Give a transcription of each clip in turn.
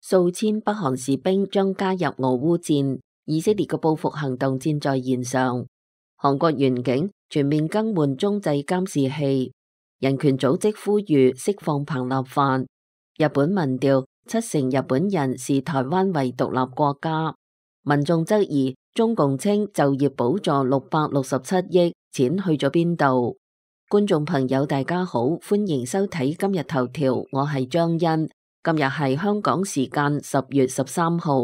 數千北韓士兵將加入俄烏戰，以色列嘅報復行動箭在弦上。韓國員警全面更換中繼監視器，人權組織呼籲釋放彭立範。日本民調70%日本人視台灣為獨立國家，民眾質疑中共稱就業補助667億，錢去咗邊度？觀眾朋友大家好，歡迎收睇今日頭條，我係張欣。今日係香港時間10月13號。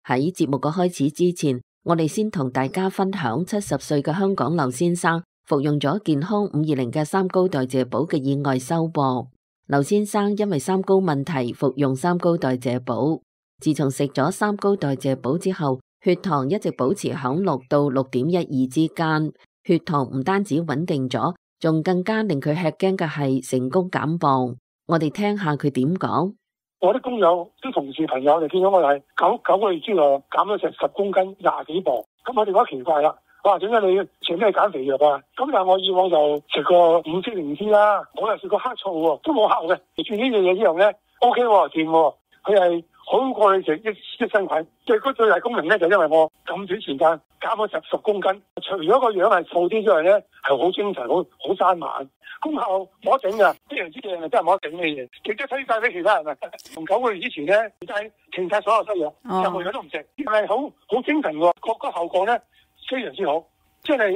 喺節目嘅開始之前，我哋先同大家分享70歲嘅香港劉先生服用咗健康520嘅三高代謝寶嘅意外收穫。劉先生因為三高問題服用三高代謝寶，自從食咗三高代謝寶之後，血糖一直保持響6到6.12之間。血糖唔單止穩定咗，仲更加令佢吃驚嘅係成功減磅。我哋聽下佢點講。我啲工友、啲同事朋友就見到我係九個月之內減咗成10公斤，20幾磅。咁我哋覺得奇怪啦，哇！點解你食咩減肥藥啊？咁但係我以往就食過5支靈芝啦，我又食過黑醋喎，都冇效嘅。食住呢樣嘢之後咧 ，OK 喎，掂喎，佢係好過你食益生菌。最大功能咧就因為我咁短時間減咗10公斤，除咗個樣係瘦啲之外咧，係好精神，好生猛。功效冇得頂噶，呢樣之嘢係真係冇得頂嘅嘢，亦都推介俾其他人啊！從9個月之前咧，就係停晒所有西藥，任何藥都唔食，係好精神喎，個效果咧非常之好，即係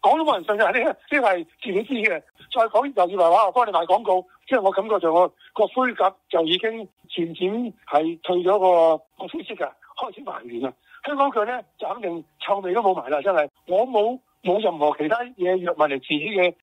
講都冇人信嘅，呢係自己知嘅。再講又以為話我幫你賣廣告，即係我感覺上我個灰甲就已經漸漸係退咗個灰色噶，開始還原啦。香港腳咧就肯定臭味都冇埋啦，真係我冇任何其他嘢藥物嚟治嘅。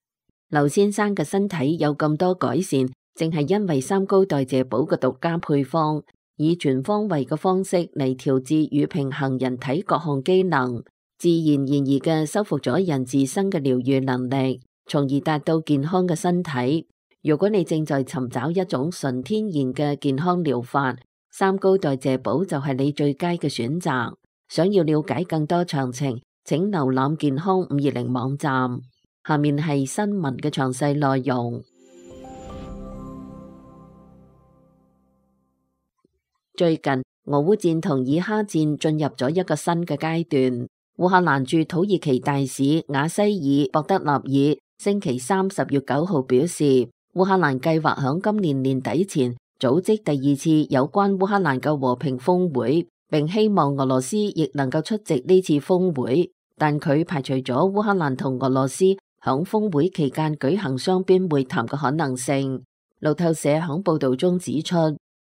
劉先生嘅身體有咁多改善，正係因為三高代謝寶嘅獨家配方，以全方位嘅方式嚟調節與平衡人體各項機能，自然而然嘅修復咗人自身嘅療癒能力，從而達到健康嘅身體。如果你正在尋找一種純天然嘅健康療法，三高代謝寶就係你最佳嘅選擇。想要了解更多詳情，請瀏覽健康520網站。下面係新聞嘅詳細內容。最近俄烏戰同以哈戰進入咗一個新嘅階段。烏克蘭駐土耳其大使瓦西爾博德納爾星期三10月9號表示，烏克蘭計劃響今年年底前組織第2次有關烏克蘭嘅和平峰會，並希望俄羅斯亦能夠出席呢次峰會，但佢排除咗烏克蘭同俄羅斯響峰會期間舉行雙邊會談嘅可能性。路透社響報道中指出，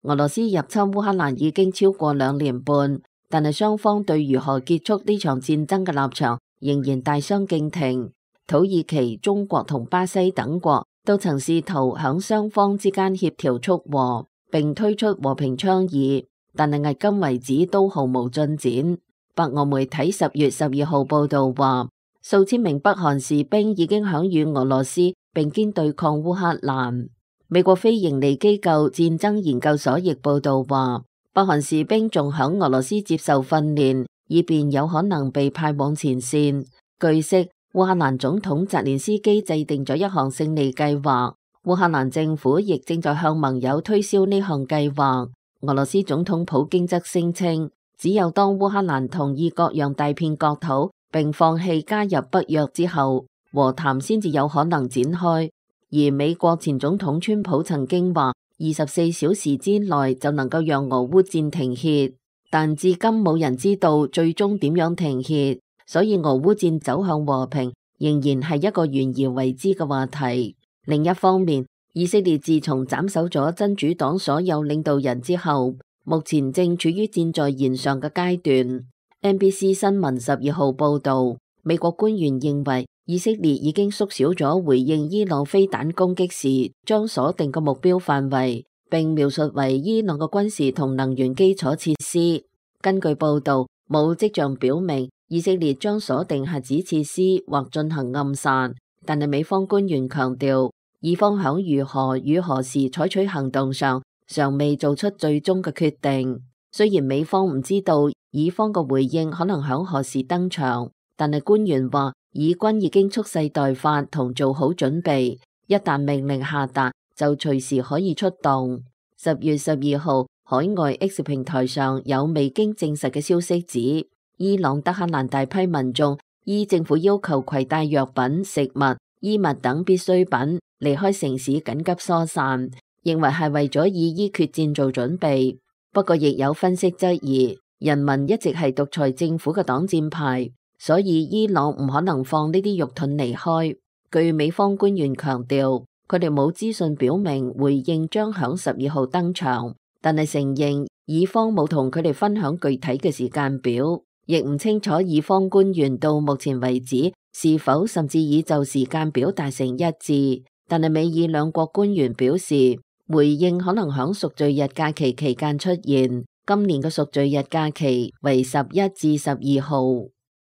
俄羅斯入侵烏克蘭已經超過2年半，但係雙方對如何結束呢場戰爭嘅立場仍然大相徑庭。土耳其、中國同巴西等國都曾試圖響雙方之間協調促和，並推出和平倡議，但係迄今為止都毫無進展。白俄媒體10月12號報道話，數千名北韓士兵已經響與俄羅斯並肩對抗烏克蘭。美國非營利機構戰爭研究所亦報道話，北韓士兵仲響俄羅斯接受訓練，以便有可能被派往前線。據悉，烏克蘭總統澤連斯基制定咗一項勝利計劃，烏克蘭政府亦正在向盟友推銷呢項計劃。俄羅斯總統普京則聲稱，只有當烏克蘭同意割讓大片國土並放棄加入北約之後，和談先至有可能展開。而美國前總統川普曾經話，24小時之內就能夠讓俄烏戰停歇，但至今冇人知道最終點樣停歇，所以俄烏戰走向和平仍然係一個懸而未知嘅話題。另一方面，以色列自從斬首咗真主黨所有領導人之後，目前正處於箭在弦上嘅階段。NBC 新聞12號報道，美國官員認為以色列已經縮小咗回應伊朗飛彈攻擊時將鎖定嘅目標範圍，並描述為伊朗嘅軍事同能源基礎設施。根據報道，冇跡象表明以色列將鎖定核子設施或進行暗殺，但係美方官員強調，以方響如何與何時採取行動上尚未做出最終嘅決定。雖然美方唔知道以方嘅回應可能響何時登場，但係官員話以軍已經蓄勢待發同做好準備，一旦命令下達就隨時可以出動。10月12號，海外 X 平台上有未經證實嘅消息指，伊朗德黑蘭大批民眾依政府要求攜帶藥品、食物、衣物等必需品離開城市緊急疏散，認為係為咗以伊決戰做準備。不過亦有分析質疑，人民一直係獨裁政府嘅擋箭牌，所以伊朗唔可能放呢啲肉盾離開。據美方官員強調，佢哋冇資訊表明回應將響12號登場，但係承認以方冇同佢哋分享具體嘅時間表，亦唔清楚以方官員到目前為止是否甚至已就時間表達成一致。但係美以兩國官員表示，回應可能響贖罪日假期期間出現，今年嘅贖罪日假期為11至12號。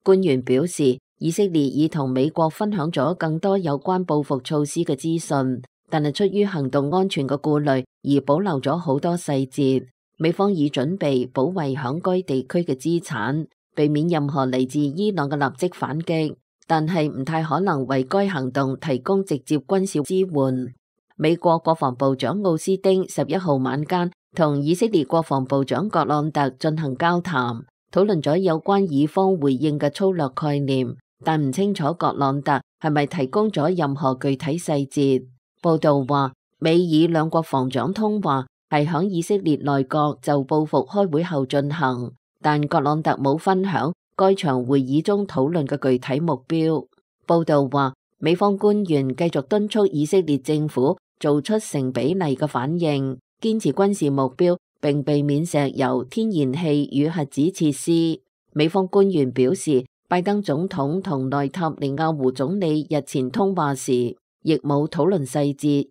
官員表示，以色列已同美國分享咗更多有關報復措施嘅資訊，但係出於行動安全嘅顧慮而保留咗好多細節。美方已準備保衛響該地區嘅資產，避免任何嚟自伊朗嘅立即反擊，但係唔太可能為該行動提供直接軍事支援。美國國防部長奧斯汀11號晚間同以色列國防部長葛朗特進行交談，討論咗有關以方回應嘅粗略概念，但唔清楚葛朗特係咪提供咗任何具體細節。報道話，美以兩國防長通話係響以色列內閣就報復開會後進行，但葛朗特冇分享該場會議中討論嘅具體目標。報道話，美方官員繼續敦促以色列政府做出成比例嘅反應，堅持軍事目標，並避免石油、天然氣與核子設施。美方官員表示，拜登總統同內塔尼亞胡總理日前通話時，亦冇討論細節。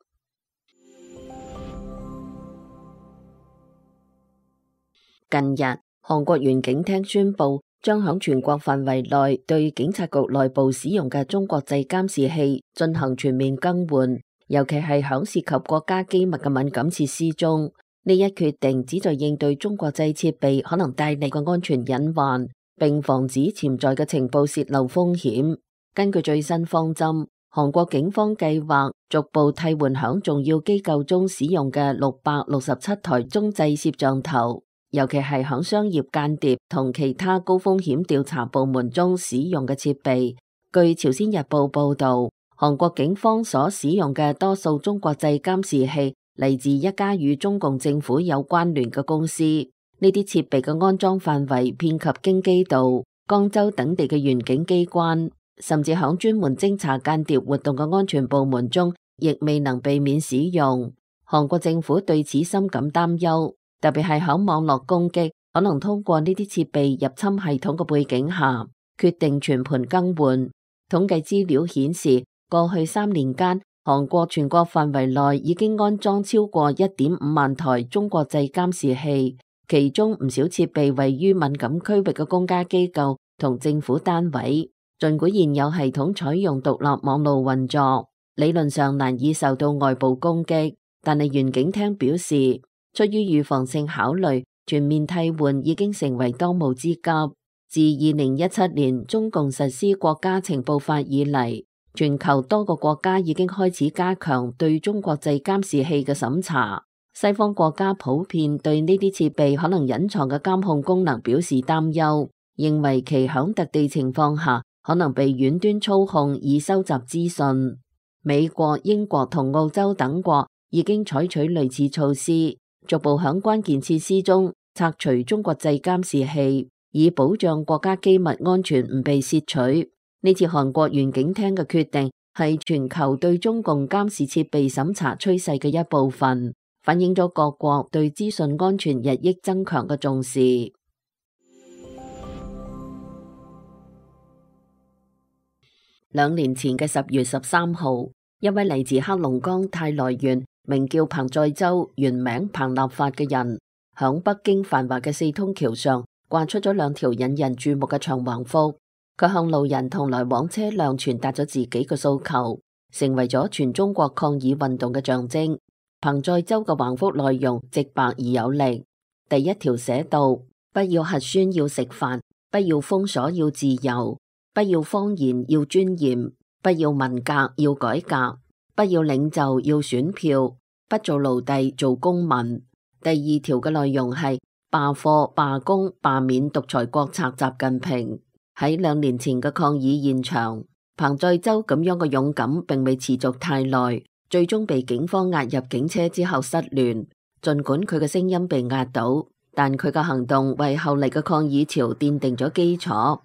近日，韓國原警廳宣布將響全國範圍內對警察局內部使用嘅中國製監視器進行全面更換，尤其係響涉及國家機密嘅敏感設施中。呢一決定旨在應對中國製設備可能帶嚟嘅安全隱患，並防止潛在嘅情報洩漏風險。根據最新方針，韓國警方計劃逐步替換響重要機構中使用嘅667台中製攝像頭，尤其係響商業間諜同其他高風險調查部門中使用嘅設備。據朝鮮日報報道，韓國警方所使用嘅多數中國製監視器嚟自一家與中共政府有關聯嘅公司。呢啲設備嘅安裝範圍遍及京畿道、江州等地嘅原警機關，甚至響專門偵查間諜活動嘅安全部門中，亦未能避免使用。韓國政府對此深感擔憂，特別係響網絡攻擊可能通過呢啲設備入侵系統嘅背景下，決定全盤更換。統計資料顯示，過去3年間，韓國全國範圍內已經安裝超過1.5萬台中國製監視器，其中唔少設備位於敏感區域嘅公家機構同政府單位。儘管現有系統採用獨立網路運作，理論上難以受到外部攻擊，但係原警廳表示，出於預防性考慮，全面替換已經成為當務之急。自2017年中共實施國家情報法以嚟，全球多個國家已經開始加強對中國製監視器嘅審查。西方國家普遍對呢啲設備可能隱藏嘅監控功能表示擔憂，認為其響特定情況下可能被遠端操控以收集資訊。美國、英國同澳洲等國已經採取類似措施，逐步響關鍵設施中拆除中國製監視器，以保障國家機密安全唔被竊取。呢次韓國原警廳嘅決定係全球對中共監視設備審查趨勢嘅一部分，反映咗各國對資訊安全日益增強嘅重視。2年前嘅10月13號，一位嚟自黑龍江泰來縣，名叫彭載舟，原名彭立發嘅人，響北京繁華嘅四通橋上掛出咗2條引人注目嘅長橫幅。佢向路人同來往車輛傳達咗自己嘅訴求，成為咗全中國抗議運動嘅象徵。彭載舟嘅橫幅內容直白而有力。第1條寫道：不要核酸要食飯，不要封鎖要自由，不要謊言要尊嚴，不要文革要改革，不要領袖要選票，不做奴隸做公民。第2條嘅內容係罷課、罷工、罷免獨裁國賊習近平。喺2年前嘅抗議現場，彭載舟咁樣嘅勇敢並未持續太耐，最終被警方押入警車之後失聯。儘管佢嘅聲音被壓倒，但佢嘅行動為後嚟嘅抗議潮奠定咗基礎。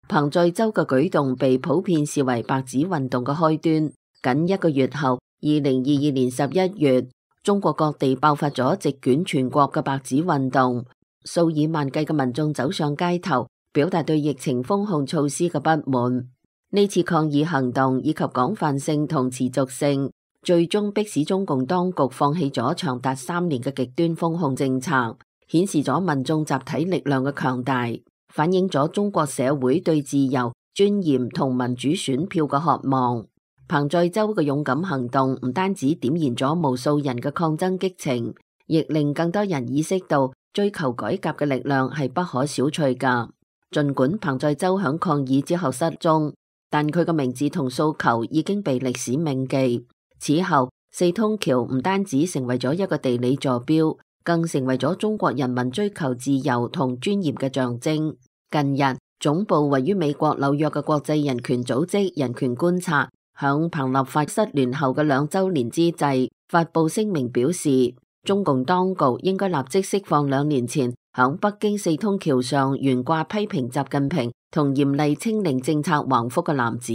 彭載舟嘅舉動被普遍視為白紙運動嘅開端。僅1個月後，2022年11月，中國各地爆發咗席捲全國嘅白紙運動，數以萬計嘅民眾走上街頭，表達對疫情封控措施嘅不滿。呢次抗議行動以及廣泛性同持續性，最終迫使中共當局放棄咗長達3年嘅極端封控政策，顯示咗民眾集體力量嘅強大，反映咗中國社會對自由、尊嚴同民主選票嘅渴望。彭載舟嘅勇敢行動唔單止點燃咗無數人嘅抗爭激情，亦令更多人意識到追求改革嘅力量係不可小覷㗎。儘管彭載舟響抗議之後失蹤，但佢嘅名字同訴求已經被歷史銘記。此後，四通橋唔單止成為咗一個地理坐標，更成為咗中國人民追求自由同尊嚴嘅象徵。近日，總部位於美國紐約嘅國際人權組織人權觀察，響彭立發失聯後嘅2週年之際，發布聲明表示，中共當局應該立即釋放2年前響北京四通橋上懸掛批評習近平同嚴厲清零政策橫幅嘅男子。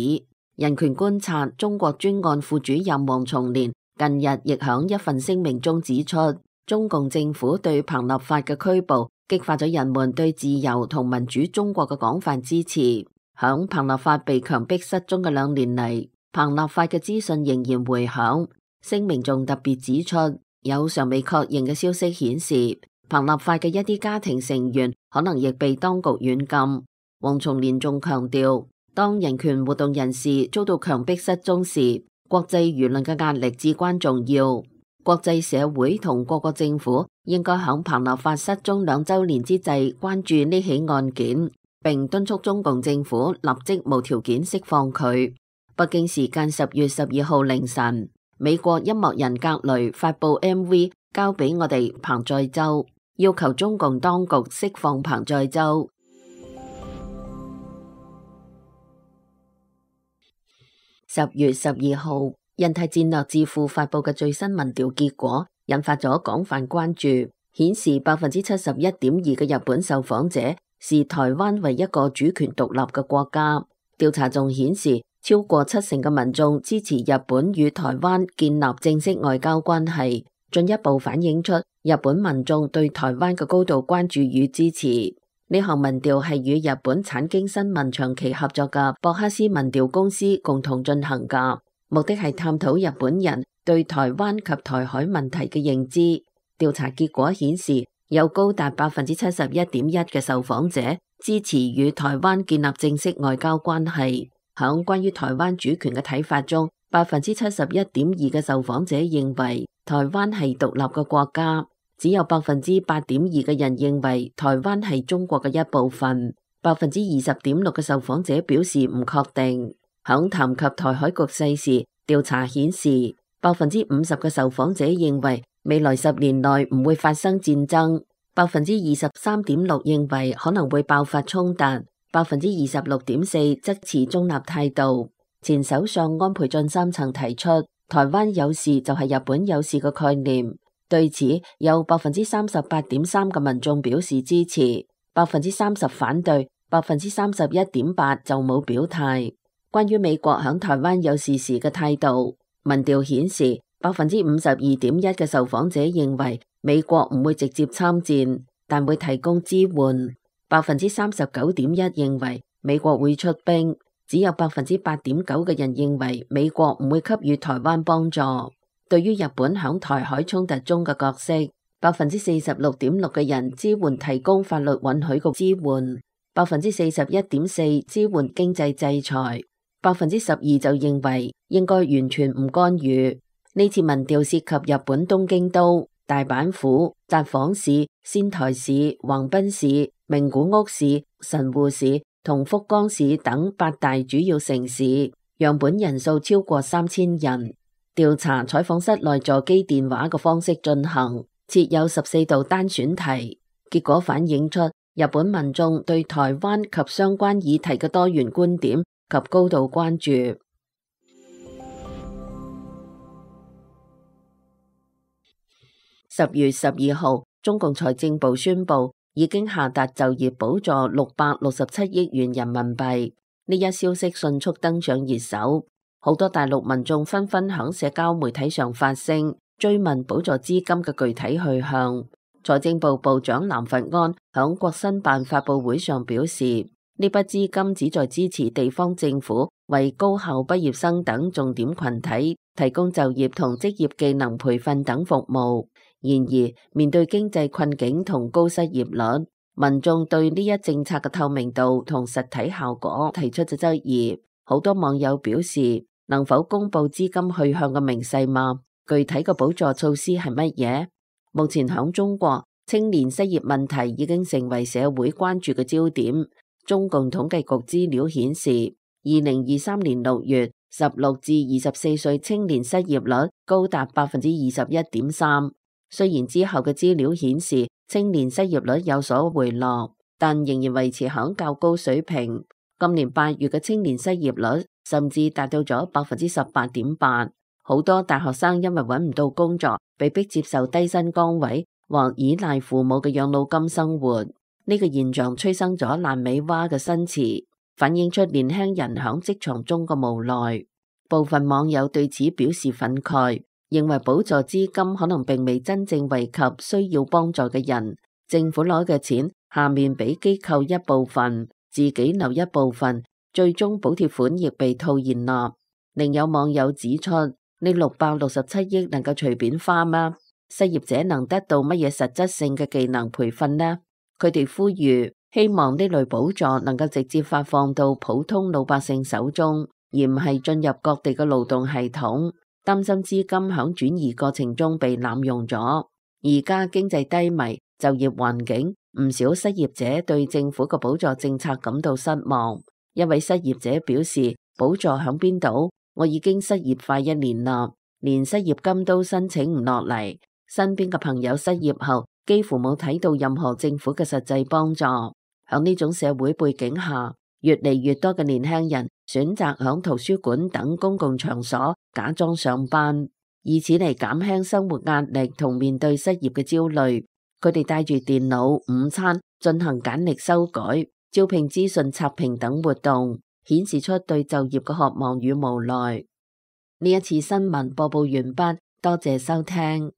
人權觀察中國專案副主任王松年近日亦響一份聲明中指出，中共政府對彭立發嘅拘捕激發咗人們對自由同民主中國嘅廣泛支持。響彭立發被強迫失蹤嘅2年嚟，彭立發嘅資訊仍然回響。聲明仲特別指出，有尚未確認嘅消息顯示，彭立發嘅一啲家庭成員可能亦被當局軟禁。王松年仲強調，當人權活動人士遭到強迫失蹤時，國際輿論嘅壓力至關重要。國際社會同各國政府應該喺彭立發失蹤2週年之際關注呢起案件，並敦促中共政府立即無條件釋放佢。北京時間10月12號凌晨，美國音樂人格雷發布 MV 交俾我哋彭載舟，要求中共當局釋放彭載舟。10月12號，印太戰略智庫發布嘅最新民調結果引發咗廣泛關注，顯示71.2%嘅日本受訪者視台灣為一個主權獨立嘅國家。調查仲顯示，超過70%嘅民眾支持日本與台灣建立正式外交關係，進一步反映出日本民眾對台灣嘅高度關注與支持。呢項民調係與日本產經新聞長期合作嘅博克斯民調公司共同進行嘅，目的係探討日本人對台灣及台海問題嘅認知。調查結果顯示，有高達71.1%嘅受訪者支持與台灣建立正式外交關係。響關於台灣主權嘅睇法中，71.2%嘅受訪者認為台灣係獨立嘅國家，只有8.2%嘅人認為台灣係中國嘅一部分，20.6%嘅受訪者表示唔確定。響談及台海局勢時，調查顯示50%嘅受訪者認為未來10年內唔會發生戰爭，23.6%認為可能會爆發衝突，26.4%則持中立態度。前首相安倍晉三曾提出台灣有事就係日本有事嘅概念，對此有38.3%嘅民眾表示支持，30%反對，31.8%就冇表態。關於美國響台灣有事時嘅態度，民調顯示52.1%嘅受訪者認為美國唔會直接參戰，但會提供支援。39.1% 認為美國會出兵，只有8.9%嘅人認為美國唔會給予台灣幫助。對於日本響台海衝突中嘅角色，46.6%嘅人支援提供法律允許嘅支援，41.4%支援經濟制裁，12%就認為應該完全唔干預。呢次民調涉及日本東京都、大阪府、札幌市、仙台市、橫濱市、名古屋市、神戶市同福岡市等8大主要城市，樣本人數超過3000人。調查採訪室內座機電話嘅方式進行，設有14道單選題，結果反映出日本民眾對台灣及相關議題嘅多元觀點及高度關注。10月12號，中共財政部宣布已經下達就業補助667億元人民幣，呢一消息迅速登上熱搜，好多大陸民眾紛紛響社交媒體上發聲，追問補助資金嘅具體去向。財政部部長藍佛安響國新辦發佈會上表示，呢筆資金旨在支持地方政府為高校畢業生等重點群體提供就業同職業技能培訓等服務。然而，面對經濟困境同高失業率，民眾對呢一政策嘅透明度同實體效果提出咗質疑。好多網友表示，能否公布資金去向嘅明細嗎？具體嘅補助措施係乜嘢？目前響中國，青年失業問題已經成為社會關注嘅焦點。中共統計局資料顯示，2023年6月，16至24歲青年失業率高達21.3%。雖然之後嘅資料顯示青年失業率有所回落，但仍然維持響較高水平。今年8月嘅青年失業率甚至達到咗18.8%。好多大學生因為揾唔到工作，被迫接受低薪崗位或依賴父母嘅養老金生活。呢個現象催生咗爛尾娃嘅新詞，反映出年輕人響職場中嘅無奈。部分網友對此表示憤慨，認為補助資金可能並未真正惠及需要幫助嘅人，政府攞嘅錢下面俾機構一部分，自己留一部分，最終補貼款亦被套現啦。另有網友指出，呢667億能夠隨便花嗎？失業者能得到乜嘢實質性嘅技能培訓呢？佢哋呼籲，希望呢類補助能夠直接發放到普通老百姓手中，而唔係進入各地嘅勞動系統。擔心資金響轉移過程中被濫用咗。而家經濟低迷，就業環境，唔少失業者對政府嘅補助政策感到失望。一位失業者表示，補助響邊度？我已經失業快1年啦，連失業金都申請唔落嚟。身邊嘅朋友失業後，幾乎冇睇到任何政府嘅實際幫助。響呢種社會背景下，越嚟越多嘅年輕人選擇響圖書館等公共場所假裝上班，以此嚟減輕生活壓力同面對失業嘅焦慮。佢哋帶住電腦、午餐進行簡歷修改、招聘資訊刷屏等活動，顯示出對就業嘅渴望與無奈。呢一次新聞播報完畢，多謝收聽。